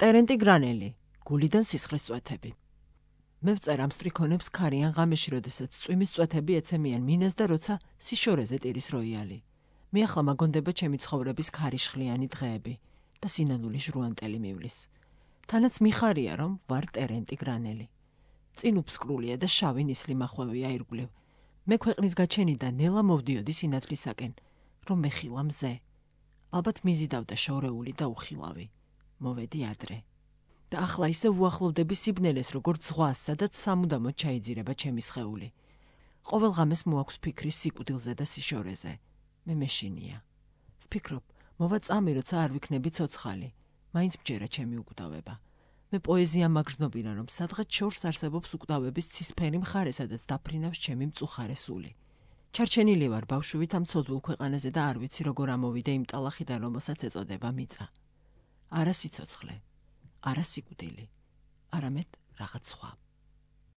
ტერენტი გრანელი, გულიდან სისხლის წვეთები. მე ვწერ ამ სტრიქონებს ქარიან ღამეში, როდესაც წვიმის წვეთები ეცემიან მინას და როცა სიშორეზე ტირის როიალი. მე ახლა მაგონდება ჩემი ცხოვრების ქარიშხლიანი დღეები და სინანული ჟრუანტელი მივლის. თანაც მიხარია, რომ ვარ ტერენტი გრანელი. წინ უფსკრულია და შავი ნისლი მახვევია ირგვლივ. მე ქვეყნის გაჩენიდა ნელა მოვდიოდი სინათლისაკენ, რომ მეხილა მზე. ალბათ მიზიდავდა შორეული და უხილავი. მოვედი ადრე. და ახლა ისე ვუახლოვდები სიბნელეს, როგორც ზღვას, სადაც სამუდამოდ ჩაიძირება ჩემი სხეული. ყოველ ღამეს მოაქვს ფიქრი სიკვდილზე და სიშორეზე. მე მეშინია. ვფიქრობ, მოვა წამი, როცა არ ვიქნები ცოცხალი. მაინც მჯერა ჩემი უკვდავება. მე პოეზია მაგრძნობინა, რომ სადღაც შორს არსებობს უკვდავების ცისფერი მხარე, სადაც დაფრინავს ჩემი მწუხარე სული. ჩარჩენილი ვარ ბავშვივით ამ ცოდვილ ქვეყანაზე და არ ვიცი როგორ ამოვიდე იმ ტალახიდან, რომელსაც ეწოდება მიწა. არა სიცოცხლე, არა სიკვდილი, არამედ რაღაც სხვა.